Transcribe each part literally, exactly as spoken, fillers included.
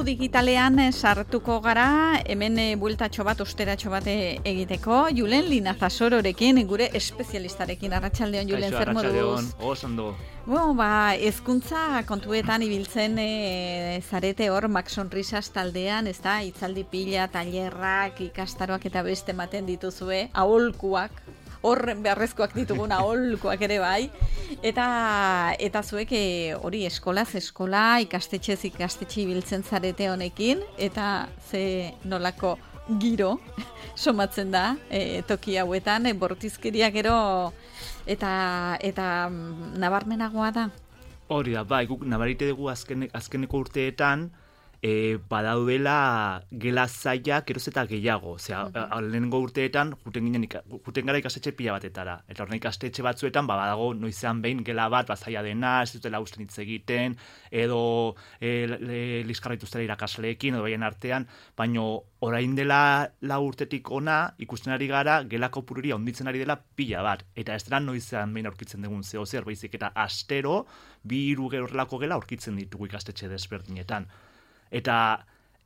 mundu digitalean sartuko gara, hemen bueltatxo bat, osteratxo bat egiteko, Julen Linazasororekin, gure espezialistarekin. Arratsaldeon, Julen, zer moduz? Arratsaldeon, oso Bueno, ba, hezkuntza kontuetan ibiltzen e, zarete hor Max Sonrisas taldean, ez da, hitzaldi pila, tailerrak, ikastaroak eta beste ematen dituzue, aholkuak, hor beharrezkoak ditugun aholkuak ere bai, eta eta zuek hori eskolaz eskola, ikastetxez ikastetxe ibiltzen zarete honekin, eta ze nolako giro somatzen da e, toki hauetan, e, bortizkeria gero eta eta nabarmenagoa da. Hori da, bai, guk nabarite dugu azken, azkeneko urteetan, E, badaudela gela zailak eroz eta gehiago. Osea, mm-hmm. lehenengo urteetan juten ginen juten gara ikastetxe pila batetara. Eta horren ikastetxe batzuetan ba, badago noizean behin gela bat bazaia dena, ez dutela usten hitz egiten, edo e, liskarra dituztela irakasleekin, edo baien artean, baino orain dela lau urtetik ona ikusten ari gara gelako pururia onditzen ari dela pila bat. Eta ez dela noizean behin aurkitzen dugun zeo zer, baizik eta astero bi hiru horrelako gela aurkitzen ditugu ikastetxe desberdinetan. Eta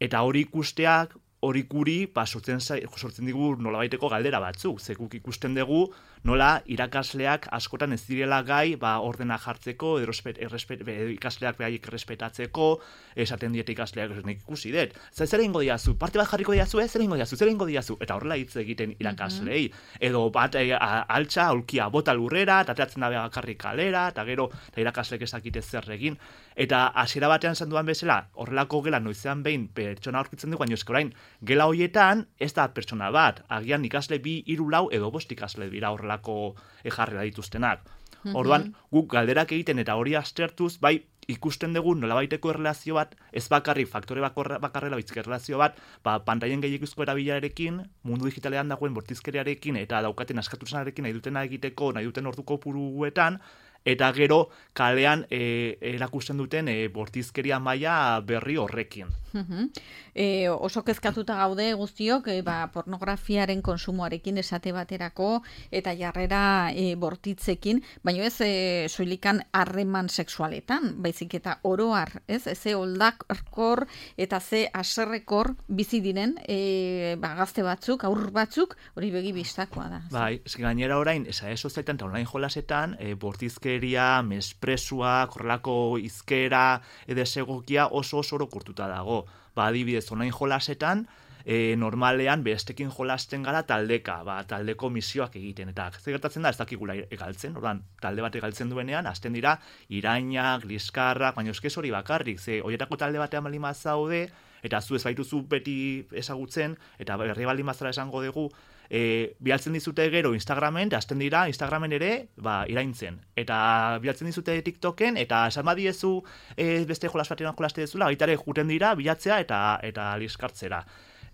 eta hori ikusteak, hori guri, ba, sortzen, sortzen digu nolabaiteko galdera batzuk. Zekuk ikusten dugu nola irakasleak askotan ez direla gai ba, ordena jartzeko, errespet, errespet, ikasleak behaiek errespetatzeko, esaten diete ikasleak nik ikusi dut. Zer zer egingo diazu? Parte bat jarriko diazu, eh? Zer egingo diazu? Zer egingo diazu? Eta horrela hitz egiten irakaslei. Mm-hmm. Edo bat e, altxa, aulkia bota lurrera, eta ateratzen da bakarrik kalera, eta gero eta irakasleek ezakite zer egin. Eta hasiera batean esan duan bezala, horrelako gela noizean behin pertsona aurkitzen dugu, baina eske orain gela hoietan ez da pertsona bat, agian ikasle bi, hiru, lau edo bost ikasle dira horrelako jarrera dituztenak. Mm-hmm. Orduan, guk galderak egiten eta hori aztertuz, bai ikusten dugu nolabaiteko erlazio bat, ez bakarrik faktore bakarrela bitzik erlazio bat, ba, pantaien gehiagizko erabilarekin, mundu digitalean dagoen bortizkeriarekin eta daukaten askatuzanarekin nahi dutena egiteko, nahi duten orduko puruetan, eta gero kalean e, erakusten duten e, bortizkeria maila berri horrekin. Uh-huh. E, oso kezkatuta gaude guztiok, e, ba, pornografiaren konsumoarekin esate baterako eta jarrera e, bortitzekin, baina ez e, soilikan harreman sexualetan, baizik eta oroar, ez? Ze oldakor eta ze aserrekor bizi diren e, ba, gazte batzuk, aur batzuk, hori begi bistakoa da. Bai, ez gainera orain, esa eso zaitan eta online jolasetan, e, bortizkeria, mespresua, korrelako izkera, edesegokia oso oso orokortuta dago. Ba, adibidez, online jolasetan, e, normalean bestekin jolasten gara taldeka, ba, taldeko misioak egiten. Eta ze gertatzen da, ez dakigula egaltzen, ordan talde bat egaltzen duenean, hasten dira irainak, liskarrak, baina eskez hori bakarrik, ze horietako talde batean balima zaude, eta zu ez baituzu beti ezagutzen, eta berri balima zara esango dugu, E, bialtzen dizute gero Instagramen, hasten dira Instagramen ere ba, iraintzen. Eta bialtzen dizute TikToken, eta esan badiezu e, beste jolas batean jolaste dezula, baita ere juten dira bilatzea eta eta liskartzera.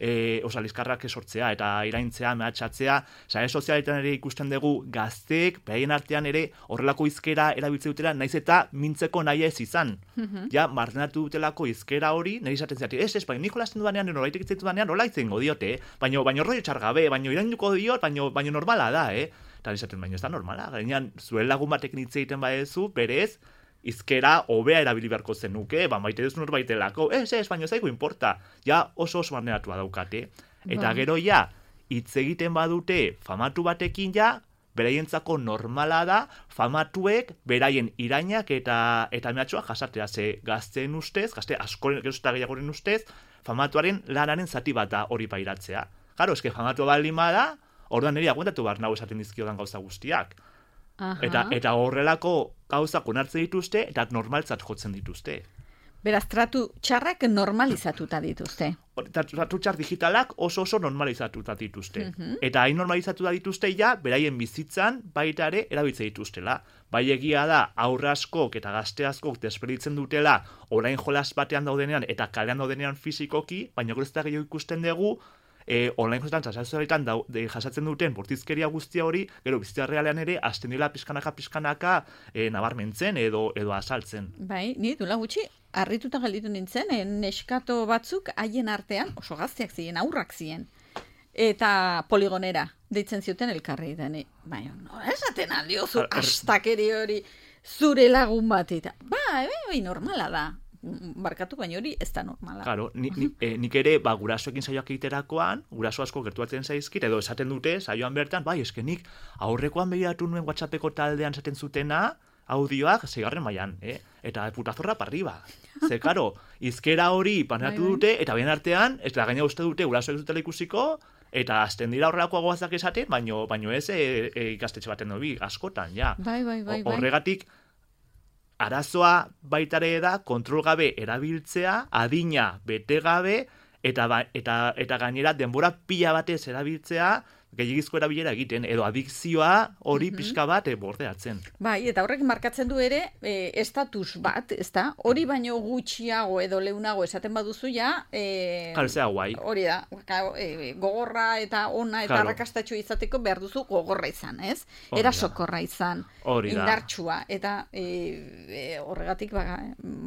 E, osa, liskarrak esortzea eta iraintzea, mehatxatzea, sare sozialetan ere ikusten dugu gazteek, behaien artean ere horrelako izkera erabiltze dutela, naiz eta mintzeko nahi ez izan. Mm-hmm. Ja, martenatu dutelako izkera hori, nahi izaten zeati, ez, ez, baina nik jolasten dudanean, noraitek itzaitu dudanean, nola itzengo diote, eh? baina baino rollo txargabe, baina irainduko diot, baina baino normala da, eh? Eta izaten, baina ez da normala, gainean, zuen lagun batekin hitz egiten badezu, berez, izkera hobea erabili beharko zenuke, ba, maite duz norbaitelako, ez, ez, baina zaigu importa, ja oso oso marneratua daukate. Eta gero ja, hitz egiten badute famatu batekin ja, beraientzako normala da, famatuek beraien irainak eta eta mehatxua jasatea, ze gazteen ustez, gazte askoren gero eta gehiagoren ustez, famatuaren lanaren zati bat da hori pairatzea. Claro, eske famatu balima da, orduan niri aguantatu behar nago esaten dizkiodan gauza guztiak. Eta, eta horrelako gauzak onartzen dituzte eta normaltzat jotzen dituzte. Beraz, tratu txarrak normalizatuta dituzte. Tratu txar digitalak oso oso normalizatuta dituzte. Mm-hmm. Eta hain normalizatuta dituzte ja, beraien bizitzan baita ere erabiltze dituztela. Bai egia da, aurre askok eta gazte askok desperditzen dutela orain jolas batean daudenean eta kalean daudenean fizikoki, baina gero ez da gehiago ikusten dugu, E, online josetan, txasazioetan jasatzen duten bortizkeria guztia hori, gero bizitza realean ere, hasten dira pizkanaka-pizkanaka e, nabarmentzen edo edo azaltzen. Bai, ni dula gutxi, harrituta galditu nintzen, e, neskato batzuk haien artean, oso gazteak ziren, aurrak ziren, eta poligonera deitzen zioten elkarri deni. Bai, no, esaten aldiozu, astakeri hori, zure lagun bat, eta, ba, bai, normala da. barkatu, baina hori ez da normala. Claro, ni, ni, eh, nik ere, ba, gurasoekin saioak egiterakoan, guraso asko gertuatzen zaizkit, edo esaten dute, saioan bertan, bai, eske nik aurrekoan begiratu nuen WhatsAppeko taldean esaten zutena, audioak seigarren mailan, eh? Eta putazorra parriba. Ze, karo, izkera hori panatu dute, eta bien artean, ez da gaina uste dute, gurasoek zutela ikusiko, eta azten dira horrelako agoazak esaten, baino, baino ez e, e, ikastetxe baten dobi, askotan, ja. Bai, bai, bai, bai. Horregatik, arazoa baitare da, kontrol gabe erabiltzea, adina bete gabe, eta, ba, eta, eta gainera denbora pila batez erabiltzea, gehiagizko erabilera egiten, edo adikzioa hori mm-hmm. pixka bat e, bordeatzen. Bai, eta horrek markatzen du ere e, estatus bat, ezta? Hori baino gutxiago edo leunago esaten baduzu ja, e, Jalzea guai. Hori da, e, gogorra eta ona eta claro. arrakastatxo izateko behar duzu gogorra izan, ez? Erasokorra izan, indartsua, eta e, e, horregatik ba,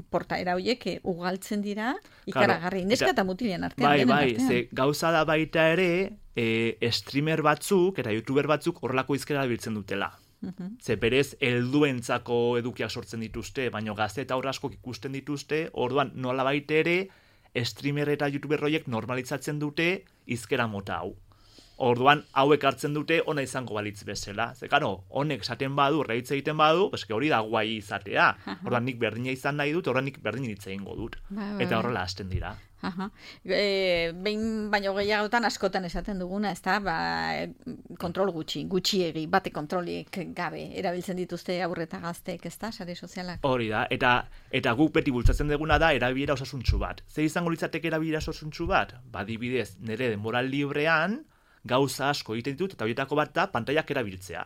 portaera horiek e, ugaltzen dira, ikaragarri, claro. Neska eta mutilen artean. Bai, bai, ze gauza da baita ere, E, streamer batzuk eta youtuber batzuk horrelako izkera biltzen dutela. Uh-huh. Ze berez, helduentzako edukiak sortzen dituzte, baino gazte eta horra askok ikusten dituzte, orduan nola baita ere, streamer eta youtuber horiek normalitzatzen dute izkera mota hau. Orduan, hauek hartzen dute ona izango balitz bezala. Ze, karo, honek esaten badu, reitz egiten badu, eske hori da guai izatea. Uh-huh. Orduan, nik berdina izan nahi dut, orduan nik berdin hitz egingo dut. Ba, ba, eta horrela hasten dira. Aha. E, behin baino gehiagotan askotan esaten duguna, ezta? Ba, kontrol gutxi, gutxiegi, bate kontrolik gabe erabiltzen dituzte aurreta gazteek, ezta? Sare sozialak. Hori da, eta eta guk beti bultzatzen duguna da erabilera osasuntsu bat. Ze izango litzateke erabilera osasuntsu bat? Ba, adibidez, nire denbora librean gauza asko egiten ditut eta horietako bat da pantailak erabiltzea.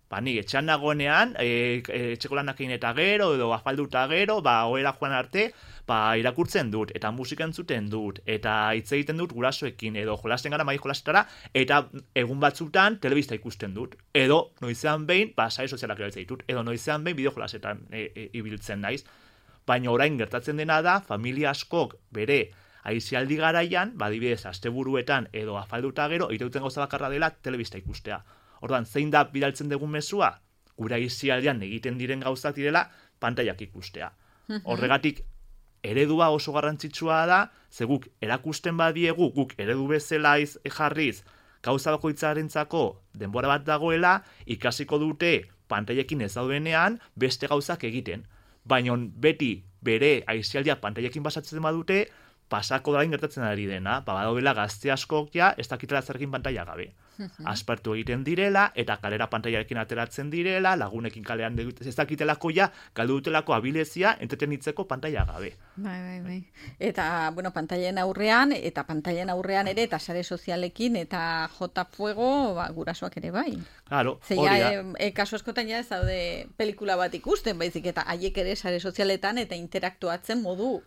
Ba, ni etxean nagoenean, e, e, etxeko lanak egin eta gero, edo afalduta gero, ba, ohera joan arte, ba, irakurtzen dut, eta musika entzuten dut, eta hitz egiten dut gurasoekin, edo jolasten gara mai jolasetara, eta egun batzutan telebista ikusten dut. Edo, noizean behin, ba, sare sozialak erabiltzen ditut, edo noizean behin bideo jolasetan e, e, ibiltzen naiz. Baina orain gertatzen dena da, familia askok bere aisialdi garaian, ba, adibidez, asteburuetan, edo afalduta gero, irauten gauza bakarra dela telebista ikustea. Orduan, zein da bidaltzen dugun mezua? Gura aisialdian egiten diren gauzak direla pantailak ikustea. Horregatik, eredua oso garrantzitsua da, ze guk erakusten badiegu, guk eredu bezala iz, jarriz, gauza bakoitzarentzako denbora bat dagoela, ikasiko dute pantailekin ez daudenean beste gauzak egiten. Baina beti bere aisialdia pantailekin basatzen badute, pasako da gertatzen ari dena, ba, badaudela gazte askok ja, ez dakitela zerrekin pantaila gabe. Aspertu egiten direla, eta kalera pantailarekin ateratzen direla, lagunekin kalean ez dakitelako ja, galdu dutelako abilezia, entretenitzeko pantaila gabe. Bai, bai, bai. Eta, bueno, pantailen aurrean, eta pantailen aurrean ere, eta sare sozialekin, eta jota fuego, ba, gurasoak ere bai. Claro, hori da. E, kasu askotan ja ez daude pelikula bat ikusten, baizik, eta haiek ere sare sozialetan, eta interaktuatzen modu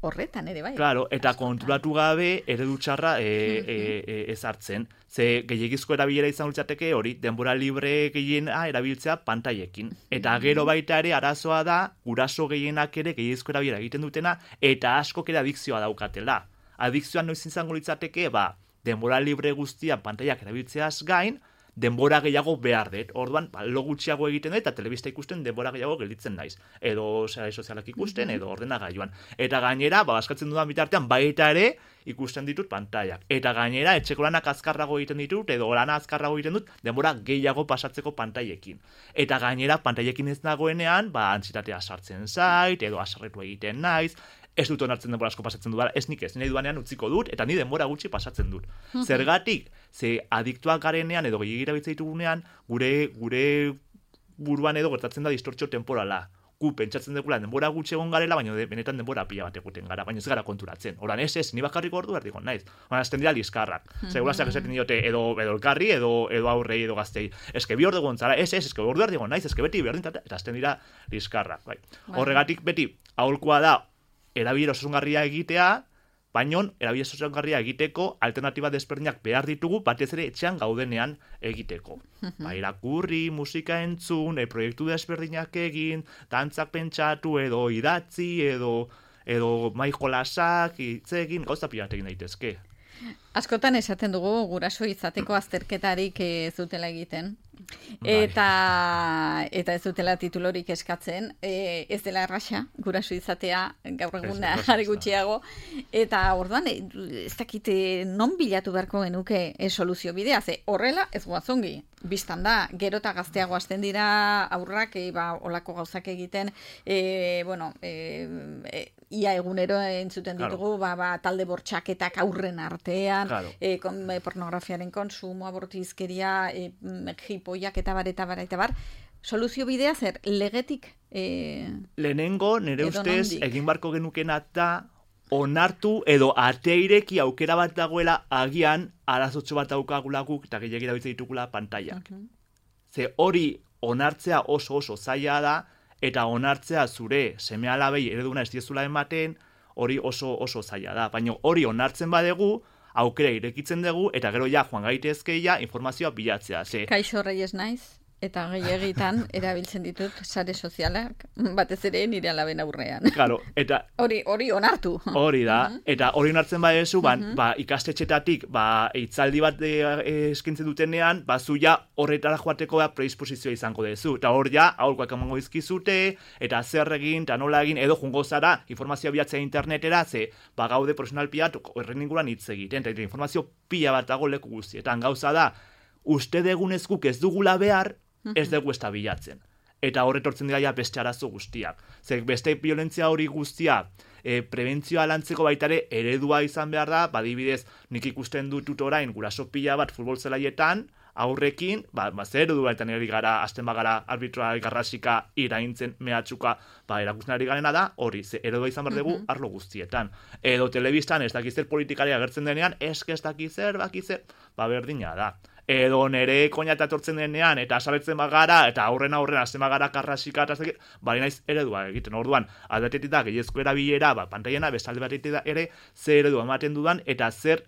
horretan ere bai. Claro, eta kontrolatu gabe eredu txarra e, e, e, ez hartzen. Ze gehiagizko erabilera izan litzateke hori, denbora libre gehiena erabiltzea pantailekin. Eta gero baita ere arazoa da, guraso gehienak ere gehiagizko erabilera egiten dutena, eta askok ere adikzioa daukatela. Adikzioa noiz izango litzateke, ba, denbora libre guztia pantailak erabiltzeaz gain, denbora gehiago behar dut. Orduan, ba, lo gutxiago egiten dut, eta telebista ikusten denbora gehiago gelditzen naiz. Edo sare sozialak ikusten, edo ordenagailuan. Eta gainera, ba, askatzen dudan bitartean, baita ere ikusten ditut pantailak. Eta gainera, etxeko lanak azkarrago egiten ditut, edo lana azkarrago egiten dut, denbora gehiago pasatzeko pantailekin. Eta gainera, pantailekin ez nagoenean, ba, antsitatea sartzen zait, edo asarretu egiten naiz, ez dut onartzen denbora asko pasatzen dut, ez nik ez, nahi duanean utziko dut, eta ni denbora gutxi pasatzen dut. Zergatik, ze adiktuak garenean edo gehiagira bitzaitugunean, gure, gure buruan edo gertatzen da distortzio temporala. Gu pentsatzen dugula denbora gutxi egon garela, baina de, benetan denbora pila bat eguten gara, baina ez gara konturatzen. Horan ez ez, ni bakarrik ordu erdiko naiz. Baina azten dira liskarrak. Segurazak esaten diote edo, edo elkarri, edo, edo aurrei, edo gaztei. Eske bi ordu gontzara, ez ez, eske ordu erdiko naiz, eske beti berdin, eta azten dira liskarrak. Bai. Horregatik beti, aholkoa da, erabilera osasungarria egitea, baina erabilera osasungarria egiteko alternatiba desberdinak behar ditugu, batez ere etxean gaudenean egiteko. Ba, irakurri, musika entzun, e, proiektu desberdinak egin, dantzak pentsatu, edo idatzi, edo, edo mai jolasak, hitz egin, gauza pila bat egin daitezke. Askotan esaten dugu guraso izateko azterketarik ez dutela egiten. Eta, eta ez dutela titulorik eskatzen, e, ez dela erraxa, guraso izatea, gaur egun are gutxiago, eta orduan, ez dakite non bilatu beharko genuke e, soluzio bidea, ze horrela ez guazongi, biztan da, gero eta gazteago hasten dira aurrak, e, ba, olako gauzak egiten, e, bueno, e, e, ia egunero entzuten ditugu, claro. ba, ba, talde bortxaketak aurren artean, claro. e, kon, e, pornografiaren konsumo, abortizkeria, e, jipoiak eta bar, eta bar, eta bar, soluzio bidea zer, legetik? E, Lehenengo, nire ustez, nondik? Egin barko genukena da, onartu edo ateireki aukera bat dagoela agian arazotxo bat daukagulaguk eta gehiagira bitzen ditugula pantaiak. Uh-huh. Ze hori onartzea oso oso zaila da, eta onartzea zure seme alabei ereduna ez diezula ematen, hori oso oso zaila da. Baina hori onartzen badegu, aukera irekitzen dugu, eta gero ja joan gaitezkeia informazioa bilatzea. Ze... Kaixo Reyes naiz, eta gehiagitan erabiltzen ditut sare sozialak, batez ere nire alaben aurrean. Claro, eta... Hori hori onartu. Hori da, uh-huh. Eta hori onartzen badezu, ba, uh-huh. ba, ikastetxetatik ba, hitzaldi bat e, e, eskintzen dutenean, ba, zu ja horretara joateko da predisposizioa izango dezu. Eta hor ja, aurkoak emango izkizute, eta zer egin, eta nola egin, edo jungo zara, informazioa bilatzea internetera, ze, ba, gaude profesional pilat, horren inguruan hitz egiten, eta informazio pila bat dago leku guztietan. Gauza da, uste degunezkuk ez dugula behar, ez dugu ez da bilatzen. Eta horretortzen dira ja beste arazo guztiak. Zer, beste violentzia hori guztia, e, prebentzioa lantzeko baitare eredua izan behar da, badibidez, nik ikusten dut orain guraso pila bat futbol zelaietan, aurrekin, ba, ba zer eredu baita nire gara, azten bagara arbitroa garrasika iraintzen mehatxuka, ba, erakusten ari garena da, hori, ze eredua izan behar dugu uh-huh. arlo guztietan. Edo telebistan ez dakizer politikari agertzen denean, eske ez dakizer, bakizer, ba, berdina da. Edo nere koñata etortzen denean, eta asabetzen bagara, eta aurren aurren azten bagara karrasika, eta azten, bari naiz eredua egiten. Orduan, aldatetik da, gehiezko erabilera, ba, pantaiena, bestalde batetik da ere, zer eredua ematen dudan, eta zer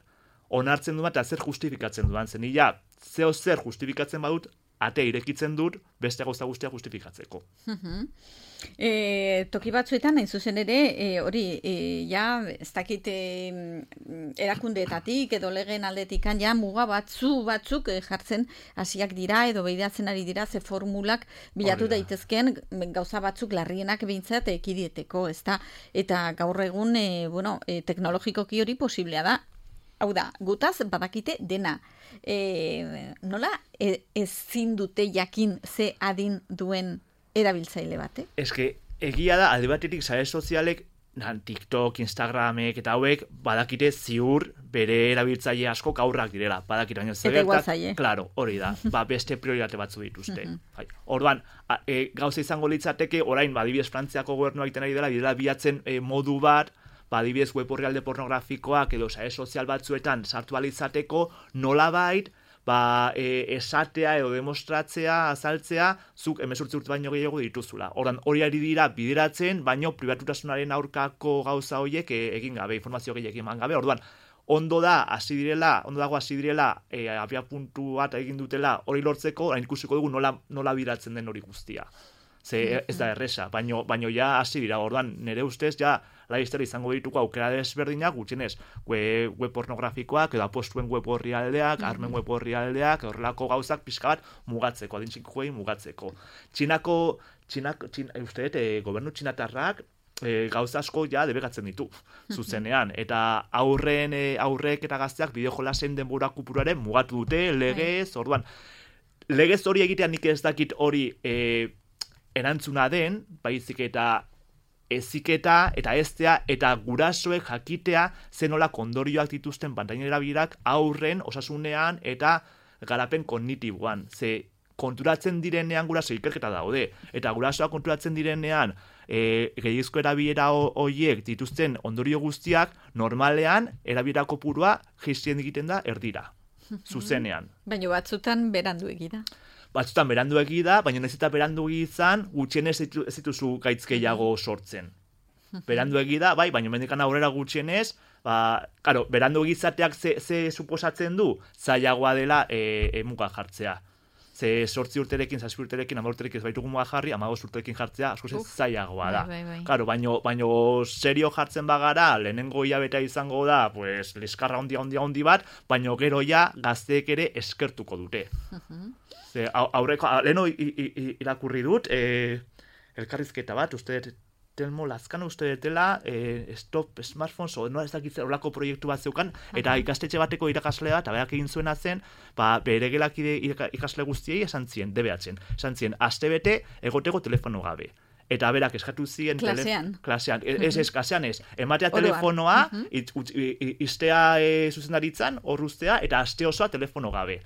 onartzen dudan, eta zer justifikatzen dudan. Zen, ja, zeo zer justifikatzen badut, ate irekitzen dut, beste gauza guztia justifikatzeko. Uh-huh. E, toki batzuetan, hain zuzen ere, e, hori, e, ja, ez dakit e, erakundeetatik edo legeen aldetikan, ja, muga batzu batzuk e, jartzen hasiak dira edo behidatzen ari dira, ze formulak bilatu Horrela. daitezkeen gauza batzuk larrienak behintzat ekidieteko, ez da? Eta gaur egun, e, bueno, e, teknologikoki hori posiblea da. Hau da, gutaz badakite dena. E, nola e, ezin dute jakin ze adin duen erabiltzaile bate? Ez que, egia da, alde batetik sare sozialek, TikTok, Instagramek eta hauek, badakite ziur bere erabiltzaile asko aurrak direla. Badakite, baina zer gertat, claro, hori da, ba, beste prioritate batzu dituzte. Orduan, e, gauza izango litzateke, orain, badibidez Frantziako gobernu egiten ari dela, bidela bilatzen e, modu bat, badibidez web orrialde pornografikoak edo sare sozial batzuetan sartu alizateko, nolabait, ba, e, esatea edo demostratzea, azaltzea, zuk emezurtzi urte baino gehiago dituzula. Ordan hori ari dira bideratzen, baino pribatutasunaren aurkako gauza horiek e, egin gabe, informazio gehiago eman gabe. Orduan, ondo da, hasi direla, ondo dago hasi direla, e, abia puntu bat egin dutela hori lortzeko, orain ikusiko dugu nola, nola bideratzen den hori guztia. Ze ez da erresa, baino, baino ja hasi dira, orduan nire ustez ja laiztera izango dituko aukera desberdinak, gutxienez web, web pornografikoak, edo apostuen web horrialdeak, mm-hmm. armen web horrialdeak, horrelako gauzak pixka bat mugatzeko, adintxikoei mugatzeko. Txinako, txinako, txin, uste, e, gobernu txinatarrak, e, gauza asko ja debegatzen ditu, zuzenean, eta aurren, e, aurrek eta gazteak bideo jolasen denbora kupuruaren mugatu dute, legez, orduan, legez hori egitean nik ez dakit hori, e, erantzuna den, baizik eta eziketa eta eztea eta gurasoek jakitea zenola kondorioak dituzten pantainen erabilerak aurren osasunean eta garapen kognitiboan. Ze konturatzen direnean guraso ikerketa daude, eta gurasoak konturatzen direnean e, gehiagizko erabilera horiek dituzten ondorio guztiak normalean erabilera kopurua jaistien egiten da erdira, zuzenean. Baina batzutan berandu egida. Batzutan berandu egi da, baina ez eta berandu izan, gutxienez ez dituzu gaitz gehiago sortzen. Berandu egi da, bai, baina mendikan aurrera gutxienez, ba, karo, berandu egizateak ze, ze suposatzen du, zailagoa dela e, e, muga jartzea. Ze sortzi urterekin, zazpi urterekin, ama urterekin ez baitugu muga jarri, amagoz urterekin jartzea, askoz ez zailagoa da. Bai, bai, bai. Claro, baino, baino serio jartzen bagara, lehenengo hilabetea izango da, pues, liskarra ondia, ondia, ondi bat, baino gero ja gazteek ere eskertuko dute. Uh-huh. Ze, aurreko, leheno irakurri dut, eh, elkarrizketa bat, uste Telmo Lazkano uste detela, eh, Stop Smartphones, o no ez dakitze horlako proiektu bat zeukan, eta uh-huh. ikastetxe bateko irakaslea bat, abeak egin zuena zen, ba, bere gelakide ikasle guztiei esan zien, debeatzen, esan zien, astebete egoteko telefono gabe. Eta berak eskatu zien... Klasean. Tele, klasean, ez, ez, ez, klasean ez. Ematea telefonoa, uh-huh. it, ut, iztea e, zuzendaritzan, horruztea, eta aste osoa telefono gabe.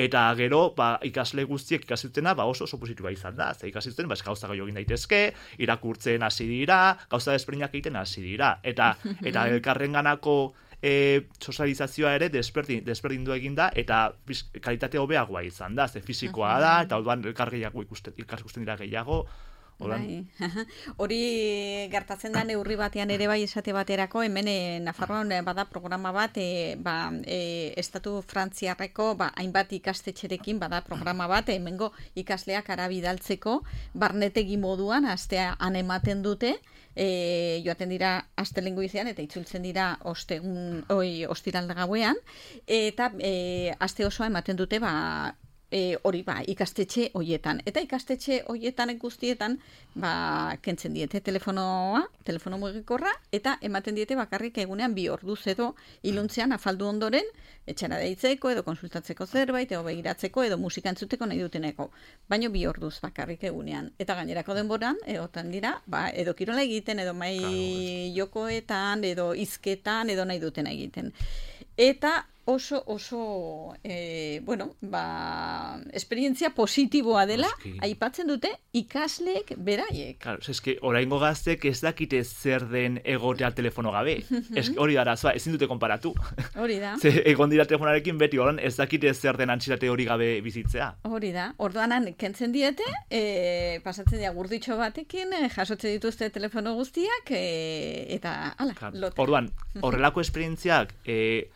Eta gero, ba, ikasle guztiek ikasitutena, ba, oso oso positiboa izan da. Ze ikasituten, ba, gauza gehiago egin daitezke, irakurtzen hasi dira, gauza desberdinak egiten hasi dira. Eta, eta elkarrenganako e, sozializazioa ere desberdin, desberdindu egin da, eta kalitate hobeagoa izan da. Ze fisikoa da, eta orduan elkar gehiago ikusten, ikusten dira gehiago. Bai. Hori gertatzen da neurri batean ere bai esate baterako, hemen e, Nafarroan bada programa bat, e, ba, e, Estatu Frantziarreko ba, hainbat ikastetxerekin bada programa bat, hemengo ikasleak arabidaltzeko, barnetegi moduan, astean ematen dute, e, joaten dira astelengo izan, eta itzultzen dira ostegun, oi, ostiral gauean, eta e, aste osoa ematen dute, ba, E, hori ba, ikastetxe hoietan. Eta ikastetxe hoietan guztietan ba, kentzen diete telefonoa, telefono mugikorra, eta ematen diete bakarrik egunean bi orduz edo iluntzean afaldu ondoren, etxera deitzeko edo konsultatzeko zerbait, edo begiratzeko edo musika entzuteko nahi duteneko. Baino bi orduz bakarrik egunean. Eta gainerako denboran, egotan dira, ba, edo kirola egiten, edo mai jokoetan, edo hizketan, edo nahi duten egiten. Eta oso, oso, e, bueno, ba, esperientzia positiboa dela, Oski. Aipatzen dute ikasleek beraiek. Claro, eske oraingo gaztek ez dakite zer den egotea telefono gabe. Eske hori da arazoa, ezin dute konparatu. Hori da. Ze egon dira telefonarekin beti horan ez dakite zer den antsitate hori gabe bizitzea. Hori da. Orduanan kentzen diete, e, pasatzen dira gurditxo batekin, e, jasotze dituzte telefono guztiak, e, eta ala, claro. Lote. Orduan, horrelako esperientziak, e,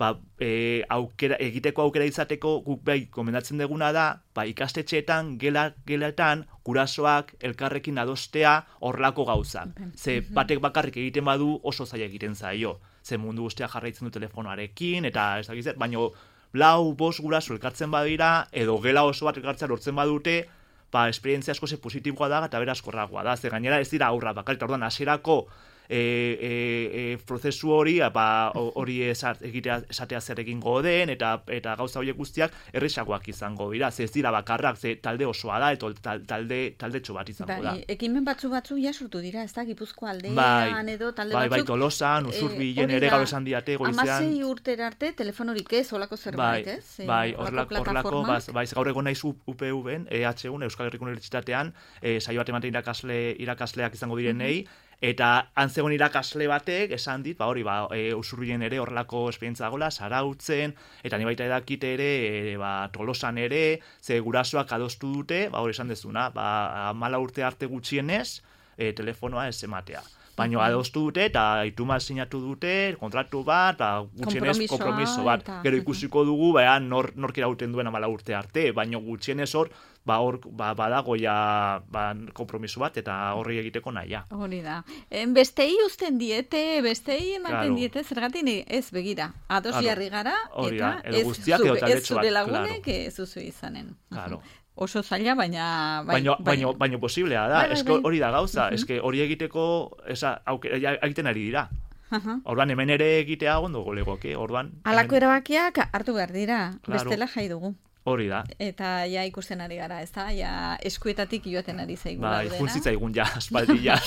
ba, e, aukera, egiteko aukera izateko guk bai gomendatzen deguna da, ba, ikastetxeetan, gela, gelaetan, gurasoak elkarrekin adostea horrelako gauzak. Ze batek bakarrik egiten badu oso zaila egiten zaio. Ze mundu guztia jarraitzen du telefonoarekin, eta ez dakizet, baino lau, bost guraso elkartzen badira, edo gela oso bat elkartzea lortzen badute, ba, esperientzia asko ze positiboa da, eta berazkorragoa da. Ze gainera ez dira aurra bakarrik, orduan hasierako E, e, e, prozesu hori ba, hori egitea esatea zer egingo den eta eta gauza horiek guztiak erresagoak izango dira, ze ez dira bakarrak, ze talde osoa da eta talde taldetxo bat izango bai, da. Ekimen batzu batzu ja sortu dira, ez da, Gipuzkoa aldean bai, edo talde bai, batzuk. Bai, Tolosan, Usurbilen e, ere gaur esan diate goizean. Hamasei urtera arte telefonorik ez, olako zerbait, bai, ez? Bai, horrelako, bai, gaur egon naiz U P U-en, E H U-en, Euskal Herriko Unibertsitatean, e, saio bat ematen irakasle, irakasleak izango direnei, mm-hmm. Eta antzegon irakasle batek esan dit, ba hori, ba, e, Usurbilen ere horrelako esperientzia dagoela, Zarautzen, eta ni baita edakite ere, e, ba, Tolosan ere, ze gurasoak adostu dute, ba hori esan dezuna, ba, amala urte arte gutxienez, e, telefonoa ez ematea. Baina adostu dute, eta ituma sinatu dute, kontratu bat, ba, gutxienez kompromiso bat. Eta... Gero ikusiko dugu, ba, nor, nork irauten duen amala urte arte, baina gutxienez hor, ba hor ba, badago ja ba, kompromiso bat eta horri egiteko nahia. Hori da. En bestei uzten diete, bestei ematen claro. Diete, zergatik ez begira. Ados claro. Jarri gara, eta ez, zube, ez zure lagunek claro. Ez zuzu izanen. Claro. Oso zaila, baina... Bai, baino, bai. baino, baino posiblea da. Bai, bai, eske hori da gauza. Uh-huh. Eske hori egiteko esa, aukera, egiten ari dira. Uh-huh. Orduan hemen ere egitea ondo golegoke. Orduan... Alako hemen... erabakiak hartu behar dira. Claro. Bestela jai dugu. Hori da. Eta ja ikusten ari gara, ez da? Ja eskuetatik joaten ari zaigu. Bai, funtzitza egun ja, aspaldi ja.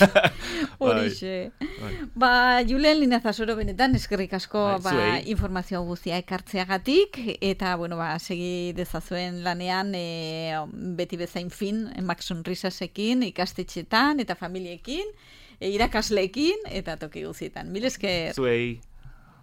Horixe. Bai. Ba, Julen Linazasoro benetan, eskerrik asko bai, ba, informazio guztia ekartzeagatik, eta, bueno, ba, segi dezazuen lanean, e, beti bezain fin, Max Sonrisasekin, ikastetxetan, eta familiekin, e, irakasleekin, eta toki guzietan. Mil esker. Zuei.